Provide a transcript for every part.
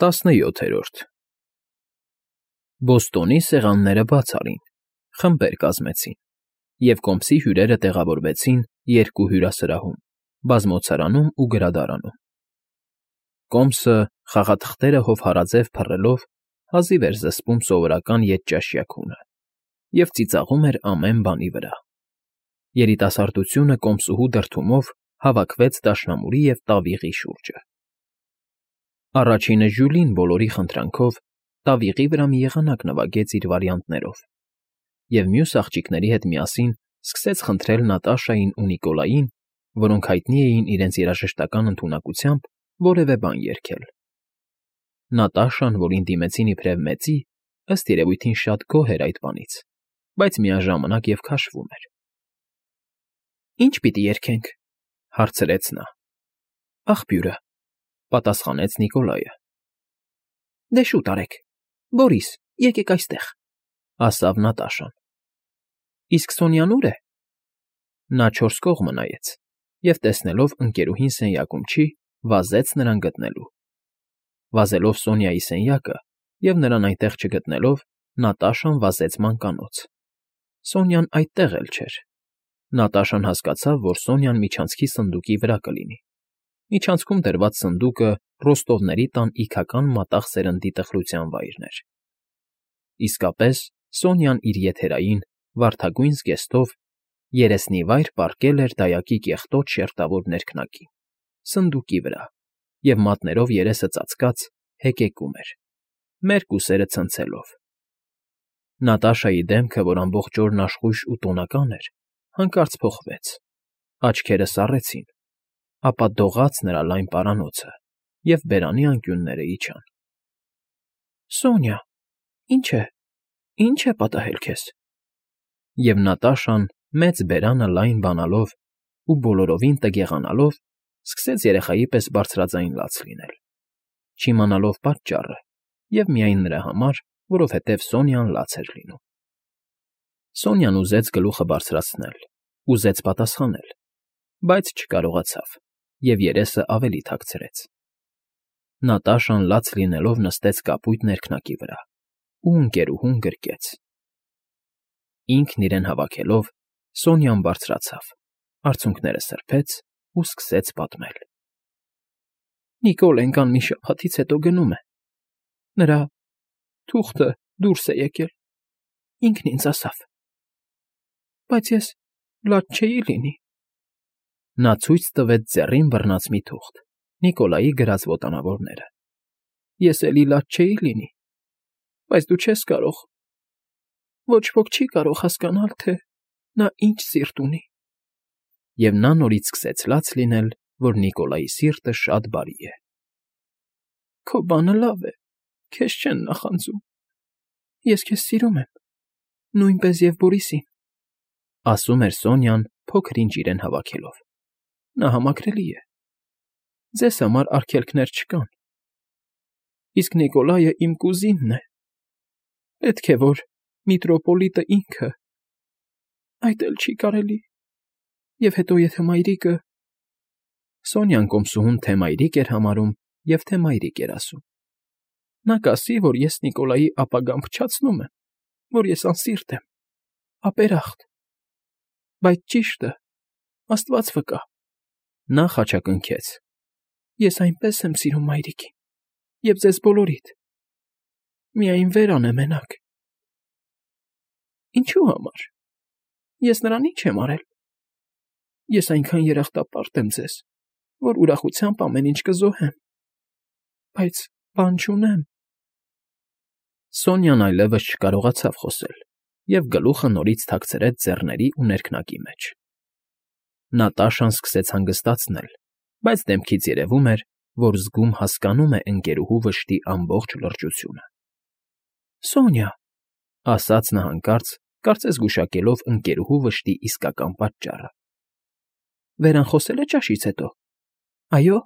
17-րդ Բոստոնի սեղանները բաց արին, խմբեր կազմեցին, և կոմսի հյուրերը տեղավորվեցին երկու հյուրասրահում՝ բազմոցարանում ու գրադարանում. կոմսը, խաղաթղթերը հովհարաձև փռելով, հազիվ էր զսպում սովորական ետճաշյա քունը և ծիծաղում էր ամեն բանի վրա. երիտասարդությունը կոմսուհու դրդումով հավաքվեց դաշնամուրի և տավիղի շուրջը. առաջինը Ժյուլին բոլորի խնդրանքով տավիղի վրա մի եղանակ նվագեց իր վարիանտներով, և մյուս աղջիկների հետ միասին սկսեց խնդրել Նատաշային ու Նիկոլային, որոնք հայտնի էին իրենց երաժշտական ընդունակությամբ, որևէ բան երգել. Նատաշան, որին դիմեցին իբրև մեծի, ըստ երևույթին շատ գոհ էր այդ բանից, բայց միաժամանակ և քաշվում էր։ «Ի՞նչ պիտի երգենք,֊ հարցրեց նա։ «Աղբյուրը,֊ պատասխանեց Նիկոլայը։ «Դե շուտ արեք, Բորիս, եկեք այստեղ,֊ ասավ Նատաշան։ «Իսկ Սոնյան ո՞ւր է»։ Նա չորս կողմը նայեց և, տեսնելով ընկերուհին սենյակում չի, վազեց նրան գտնելու։ Վազելով Սոնյայի սենյակը և նրան այնտեղ չգտնելով, Նատաշան վազեց մանկանոց. Սոնյան այդտեղ էլ չէր։ Նատաշան հասկացավ, որ Սոնյան միջանցքի սնդուկի վրա կլինի։ Միջանցքում դրված սնդուկը Ռոստովների տան իգական մատաղ սերնդի տխրության վայրն էր։ Իսկապես, Սոնյան իր եթերային, վարդագույն զգեստով երեսնիվայր պառկել էր դայակի կեղտոտ շերտավոր ներքնակին, սնդուկի վրա, և մատներով երեսը ծածկած հեկեկում էր, մերկ ուսերը ցնցելով։ Նատաշայի դեմքը, որ ամբողջ օրն աշխույժ ու տոնական էր, հանկարծ փոխվեց, աչքերը սառեցին, ապա դողաց նրա լայն պարանոցը, և բերանի անկյունները իջան։ «Սոնյա, ի՞նչ է պատահել քեզ»։ Եվ Նատաշան, մեծ բերանը լայն բանալով ու բոլորովին տգեղանալով, սկսեց երեխայի պես բարձրաձայն լաց լինել, չիմանալով պատճառը և միայն նրա համար, որովհետև Սոնյան լաց էր լինում։ Սոնյան ուզեց գլուխը բարձրացնել, ուզեց պատասխանել, բայց չկարողացավ և երեսը ավելի թաքցրեց։ Նատաշան լաց լինելով նստեց կապույտ ներքնակի վրա ու ընկերուհուն գրկեց։ Ինքն իրեն հավաքելով, Սոնյան բարձրացավ, արցունքները սրբեց ու սկսեց պատմել. «Նիկոլեն կան մի շաբաթից հետո գնում է։ Նրա թուղթը դուրս է եկել, ինքն ինձ ասավ։ Բայց ես լաց չէի լինի»։ Նա ցույց տվեց ձեռին բռնած մի թուղթ, Նիկոլայի գրած ոտանավորները։ «Ես էլի լաց չէի լինի, բայց դու չես կարող, ոչ ոք չի կարող հասկանալ, թե նա ինչ սիրտ ունի»։ Եվ նա նորից սկսեց լաց լինել, որ Նիկոլայի սիրտը շատ բարի է։ «Քո բանը լավ է, քեզ չեն նախանձում։ Ես քեզ սիրում եմ, նույնպես և Բորիսին», ասում էր Սոնյան, փոքր֊ինչ իրեն հավաքելով։ «Նա համակրելի է։ Ձեզ համար արգելքներ չկան։ Իսկ Նիկոլայը իմ կուզինն է։ Պետք է, որ միտրոպոլիտը ինքը… Այդ էլ չի կարելի։ Եվ հետո եթե մայրիկը…» Սոնյան կոմսուհուն թե՛ մայրիկ էր համարում և թե՛ մայրիկ էր ասում։ «Նա կասի, որ ես Նիկոլայի ապագան փչացնում եմ, որ ես անսիրտ եմ, ապերախտ… Բայց ճիշտը… Աստված վկա…»։ Նա խաչակնքեց. «Ես այնպես եմ սիրում մայրիկին և ձեզ բոլորիդ… Միայն Վերան է մենակ»։ «Ինչու համար… Ես նրան ի՞նչ եմ արել… Ես այնքան երախտապարտ եմ ձեզ, որ ուրախությամբ ամեն ինչ կզոհեմ… Բայց բան չունեմ…»։ Սոնյան այլևս չկարողացավ խոսել և գլուխը նորից թաքցրեց ձեռների ու ներքնակի մեջ։ Նատաշան սկսեց հանգստացնել, բայց դեմքից երևում էր, որ զգում հասկանում է ընկերուհու վշտի ամբողջ լրջությունը։ «Սոնյա…֊ ասաց նա հանկարծ, կարծես գուշակելով ընկերուհու վշտի իսկական պատճառը…֊ Վերան խոսե՞լ է ճաշից հետո»։ «Այո»։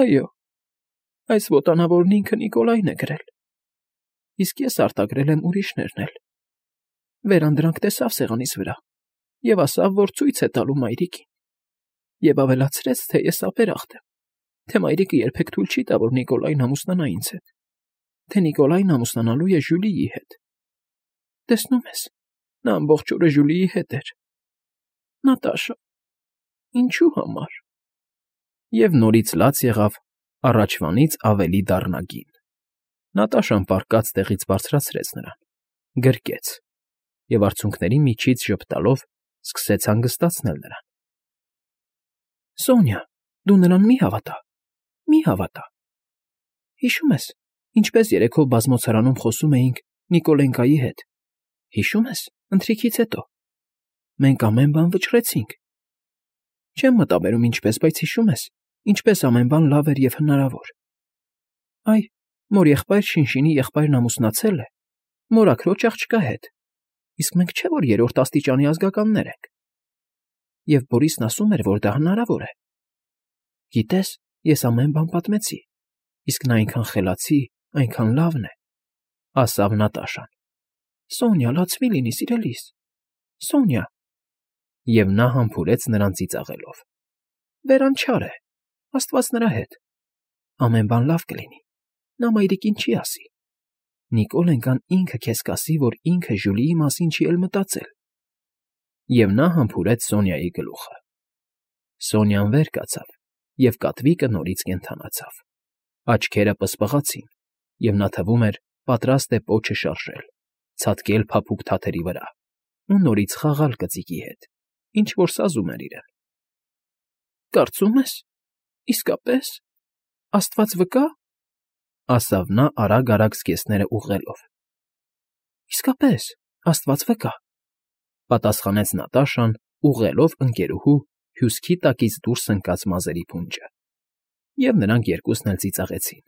«Այո, այս ոտանավորն ինքը Նիկոլայն է գրել, իսկ ես արտագրել եմ ուրիշներն էլ։ Վերան դրանք տեսավ սեղանիս վրա և ասավ, որ ցույց է տալու մայրիկին, և ավելացրեց, թե ես ապերախտ եմ։ թե մայրիկը երբեք թույլ չի տա, որ Նիկոլային ամուսնանա ինձ հետ, թե Նիկոլային ամուսնանալու է Ժյուլիի հետ։ Տեսնում ես, նա ամբողջ օրը Ժյուլիի հետ էր։ Նատաշա, ինչու համար։ Եվ նորից լաց եղավ առաջվանից ավելի դառնագին։ Նատաշան պառկած տեղից բարձրացրեց նրան, գրկեց և արցունքների միջից ժպտալով սկսեց հանգստացնել նրան։ Սոնյա, դու նրան մի հավատա, մի հավատա։ Հիշում ես, ինչպես երեքով բազմոցարանում խոսում էինք Նիկոլենկայի հետ։ Հիշում ես, ընթրիքից հետո։ Մենք ամեն բան վճռեցինք։ Չեմ մտաբերում ինչպես, բայց հիշում ես, ինչպես ամեն բան լավ էր և հնարավոր։ Այ, մոր եղբայր Շինշինի եղբայրն ամուսնացել է, մորաքրոջ աղջկա հետ, իսկ մենք չէ՞ որ երրորդ աստիճանի ազգականներ ենք։ Եվ Բորիսն ասում էր, որ դա հնարավոր է։ Գիտես, ես ամեն բան պատմեցի, իսկ նա այնքան խելացի, այնքան լավն է, ասավ Նատաշան։ Սոնյա, լացվի լինի, սիրելիս, Սոնյա։ Եվ նա համբուրեց նրան ծիծաղելով։ Վերանչար է, Աստված նրա հետ։ Ամեն բան լավ կլինի, նա մայրիկին չի ասի։ Նիկոլենկան ինքը քեզ կասի, որ ինքը Ժյուլիի մասին չի էլ մտածել։ Եվ նա համբուրեց Սոնյայի գլուխը։ Սոնյան վեր կացավ, և կատվիկը նորից կենդանացավ։ Աչքերը պսպղացին, և նա թվում էր պատրաստ է պոչը շարժել, ցատկել փափուկ թաթերի վրա ու նորից խաղալ կծիկի հետ, ինչ որ սազում էր իրեն։ Կարծում ես, իսկապես, Աստված վկա, ասավ նա արագ զգեստները ուղղելով։ Իսկապես, Աստված վկա, պատասխանեց Նատաշան, ուղղելով ընկերուհու հյուսքի տակից դուրս ընկած մազերի փունջը, և նրանք երկուսն էլ ծիծաղեցին։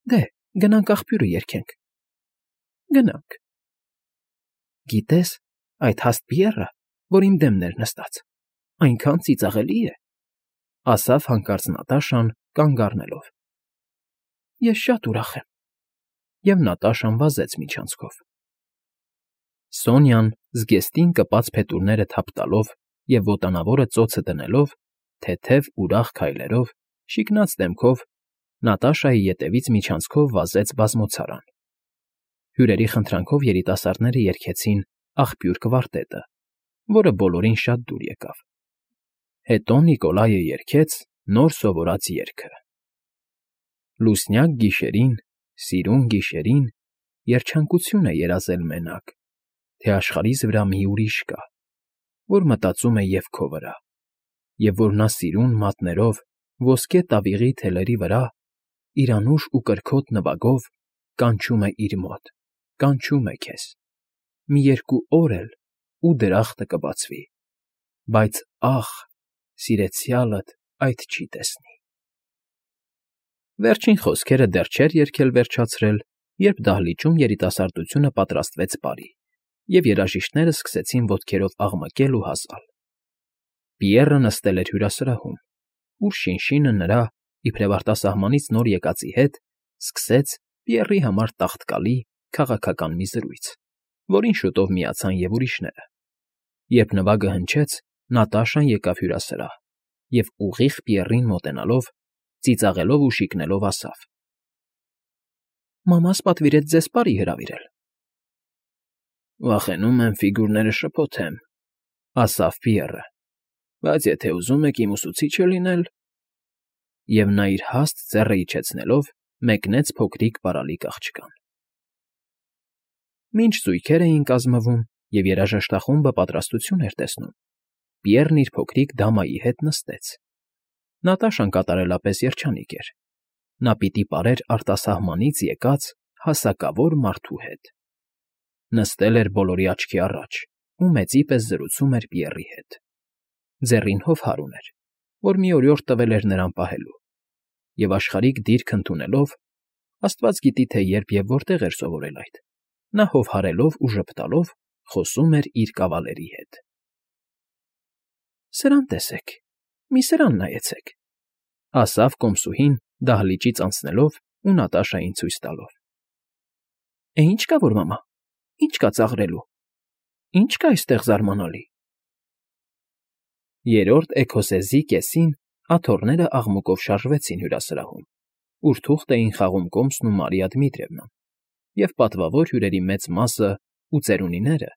Դե, գնանք աղբյուրը երգենք։ Գնանք։ Գիտես, այդ հաստ Պիեռը, որ իմ դեմն էր նստած, այնքան ծիծաղելի է, ասավ հանկարծ Նատաշան կանգ առնելով։ Ես շատ ուրախ եմ։ Եվ Նատաշան վազեց միջանցքով։ Սոնյան զգեստին կպած փետուրները թափ տալով և ոտանավորը ծոցը դնելով, թեթև ուրախ քայլերով, շիկնած դեմքով Նատաշայի ետևից միջանցքով վազեց բազմոցարան։ Հյուրերի խնդրանքով երիտասարդները երգեցին «Աղբյուր» կվարտետը, որը բոլորին շատ դուր եկավ։ Հետո Նիկոլայը երգեց նոր սովորած երգը. Լուսնյակ գիշերին, սիրուն գիշերին, երջանկություն է երազել մենակ, թե աշխարհիս վրա մի ուրիշ կա, որ մտածում է և քո վրա, և որ նա սիրուն մատներով ոսկե տավիղի թելերի վրա իր անուշ ու կրքոտ նվագով կանչում է իր մոտ, կանչում է քեզ, մի երկու օր էլ ու դրախտը կբացվի, բայց ախ, սիրեցյալդ այդ չի տեսնի։ Վերջին խոսքերը դեռ չէր երգել վերջացրել, երբ դահլիճում երիտասարդությունը պատրաստվեց բարի, և երաժիշտները սկսեցին ոտքերով աղմկել ու հազալ։ Պիեռը նստել էր հյուրասրահում, ուր Շինշինը նրա, իբրև արտասահմանից նոր եկածի հետ, սկսեց Պիեռի համար տաղտկալի քաղաքական մի զրույց, որին շուտով միացան և ուրիշները։ Երբ նվագը հնչեց, Նատաշան եկավ հյուրասրահ և ուղիղ Պիեռին մոտենալով, ծիծաղելով ու շիկնելով ասավ. Մամաս պատվիրեց ձեզ բարի հրավիրել։ Վախենում եմ ֆիգուրները շփոթեմ, ասավ Պիեռը, բայց եթե ուզում եք իմ ուսուցիչը լինել… Եվ նա իր հաստ ձեռը իջեցնելով մեկնեց փոքրիկ պարալիկ աղջկան։ Մինչ զույգեր էին կազմվում և երաժշտախումբը պատրաստություն էր տեսնում, Պիեռն իր փոքրիկ դամայի հետ նստեց։ Նատաշան կատարելապես երջանիկ էր։ Նա պիտի պարեր արտասահմանից եկած հասակավոր մարդու հետ։ Նստել էր բոլորի աչքի առաջ ու մեծի պես զրուցում էր Պիեռի հետ։ Ձեռին հովհար ուներ, որ մի օրիորդ տվել էր նրան պահելու, և աշխարհիկ դիրք ընդունելով (աստված գիտի, թե երբ և որտեղ էր սովորել այդ), նա հովհարելով ու ժպտալով խոսում էր իր կավալերի հետ։ Սրան տեսեք, մի սրան նայեցեք, ասավ կոմսուհին դահլիճից անցնելով ու Նատաշային ցույց տալով։ Ինչ կա, որ մամա, ինչ կա ծաղրելու, ինչ կա այստեղ զարմանալի։ Երրորդ էքոսեզի կեսին Աթոռները աղմուկով շարժվեցին հյուրասրահում, ուր թուղթ էին խաղում Կոմսն ու Մարիա Դմիտրիևնան, և պատվավոր հյուրերի մեծ մասը ու ծերունիները,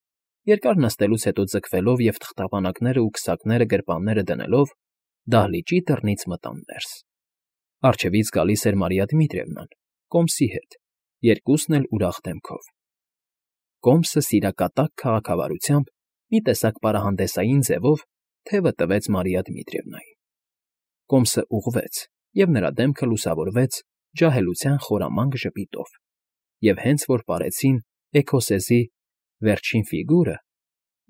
երկար նստելուց հետո ձգվելով և թղթապանակներն ու քսակները գրպանները դնելով, դահլիճի դռնից մտան ներս. առջևից գալիս էր Մարիա Դմիտրիևնան, Կոմսի հետ, երկուսն էլ ուրախ դեմքով. Կոմսը սիրակատակ քաղաքավարությամբ մի տեսակ պարահանդեսային ձևով թևը տվեց Մարիա Դմիտրիևնային. Կոմսը ուղղվեց, և նրա դեմքը լուսավորվեց ջահելության խորամանկ ժպիտով, և հենց որ պարեցին էքոսեզի վերջին ֆիգուրը,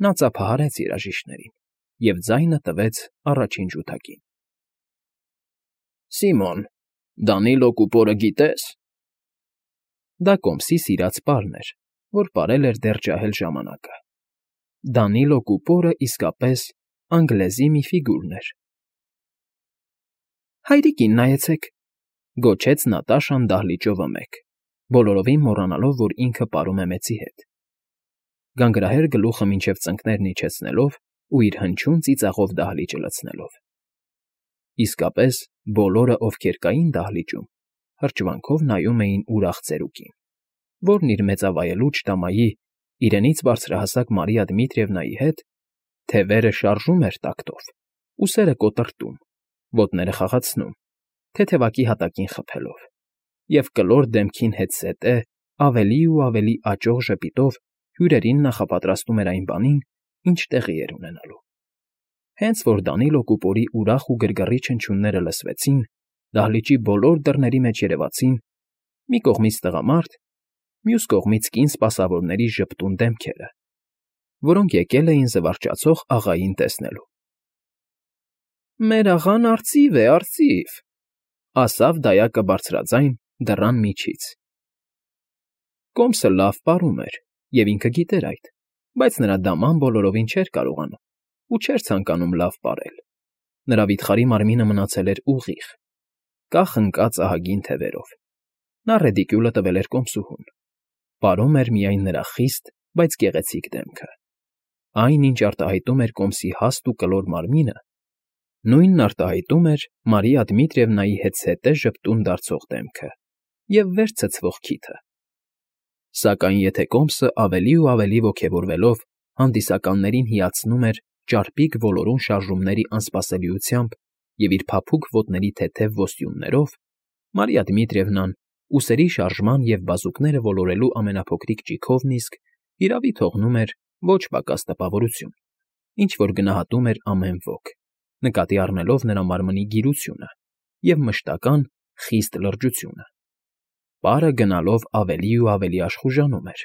նա ծափահարեց երաժիշտներին և ձայնը տվեց առաջին ջութակին. Սիմոն, Դանիլո Կուպորը գիտե՞ս։ Դա Կոմսի սիրած պարն էր, որ պարել էր դեռ ջահել ժամանակը. Դանիլո Կուպորը իսկապես անգլեզի մի ֆիգուրն էր։ Հայրիկին նայեցեք, գոչեց Նատաշան դահլիճովը մեկ, բոլորովին մոռանալով, որ ինքը պարում է մեծի հետ, գանգրահեր գլուխը մինչև ծնկներն իջեցնելով ու իր հնչյուն ծիծաղով դահլիճը լցնելով։ Իսկապես, բոլորը, ովքեր կային դահլիճում, հրճվանքով նայում էին ուրախ ծերուկին, որն իր մեծավայելուչ տամայի, իրենից բարձրահասակ Մարիա Դմիտրիևնայի հետ թևերը շարժում էր տակտով, ուսերը կոտրտում, ոտները խաղացնում, թեթևակի հատակին խփելով, և կլոր դեմքին հետզհետե ավելի ու ավելի աճող ժպիտով հյուրերին նախապատրաստում էր այն բանին, ինչ տեղի էր ունենալու։ Հենց որ Դանիլո Կուպորի ուրախ ու գրգռիչ հնչյունները լսվեցին, դահլիճի բոլոր դռների մեջ երևացին մի կողմից տղամարդ, մյուս կողմից կին սպասավորների ժպտուն դեմքերը, որոնք եկել էին զվարճացող աղային տեսնելու։ Մեր աղան արծիվ է, արծիվ, ասավ դայակը բարձրաձայն դռան միջից։ Կոմսը լավ պարում էր, և ինքը գիտեր այդ, բայց նրա դաման բոլորովին չէր կարողանում ու չէր ցանկանում լավ պարել։ Նրա վիթխարի մարմինը մնացել էր ուղիղ, կախ ընկած ահագին թևերով։ Նա ռեդիկյուլը տվել էր Կոմսուհուն, պարում էր միայն նրա խիստ, բայց գեղեցիկ դեմքը։ Այն, ինչ արտահայտում էր Կոմսի հաստ ու կլոր մարմինը, նույնն արտահայտում էր Մարիա Դմիտրիևնայի հետզհետե ժպտուն դարձող դեմքը և վեր ցցվող քիթը։ Սակայն եթե Կոմսը ավելի ու ավելի ոգևորվելով հանդիսականներին հիացնում էր ճարպիկ ոլորուն շարժումների անսպասելիությամբ և իր փափուկ ոտների թեթև ոսյուններով, Մարիա Դմիտրիևնան ուսերի շարժման և բազուկները ոլորելու ամենափոքրիկ ճիգովն իսկ հիրավի թողնում էր ոչ պակաս տպավորություն, ինչ֊որ գնահատում էր ամեն ոք, նկատի առնելով նրա մարմնի գիրությունը և մշտական խիստ լրջությունը։ Պարը գնալով ավելի ու ավելի աշխուժանում էր։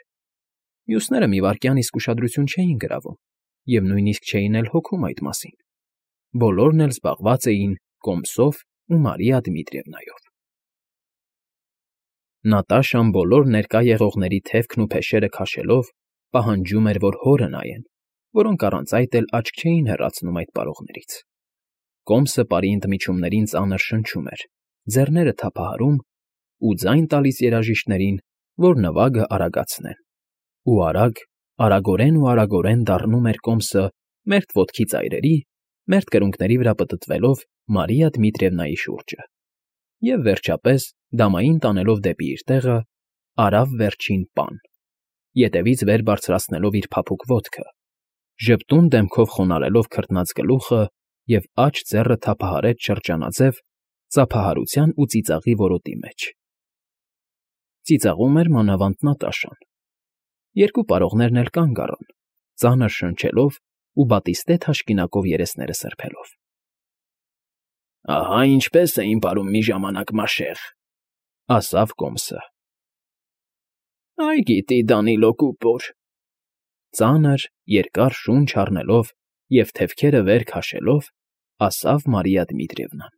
Մյուսները մի վայրկյան իսկ ուշադրություն չէին գրավում և նույնիսկ չէին էլ հոգում այդ մասին։ Բոլորն էլ զբաղված էին Կոմսով ու Մարիա Դմիտրիևնայով։ Նատաշան բոլոր ներկա եղողների թևքն ու փեշերը քաշելով պահանջում էր, որ հորը նայեն, որոնք առանց այդ էլ աչք չէին հեռացնում այդ պարողներից։ Կոմսը պարի ընդմիջումներին ծանր շնչում էր, ձեռները թափահարում ու ձայն տալիս երաժիշտներին, որ նվագը արագացնեն։ Ու արագորեն դառնում էր Կոմսը մերթ ոտքի ծայրերի, մերթ կրունկների վրա պտտվելով Մարիա Դմիտրիևնայի շուրջը, և վերջապես, դամային տանելով դեպի իր տեղը, արավ վերջին պան, ետևից վեր բարձրացնելով իր փափուկ ոտքը, ժպտուն դեմքով խոնարհելով քրտնած գլուխը և աջ ձեռը թափահարեց շրջանաձև ծափահարության ու ծիծաղի որոտի մեջ։ Ծիծաղում էր մանավանդ Նատաշան։ Երկու պարողներն էլ կանգ առան, ծանր շնչելով ու բատիստե թաշկինակով երեսները սրբելով։ Ահա ինչպես էին պարում մի ժամանակ մաշեղ, ասավ Կոմսը։ Այ գիտի Դանիլո Կուպոր, ծանր, երկար շունչ առնելով և թևքերը վեր քաշելով, ասավ Մարիա Դմիտրիևնան։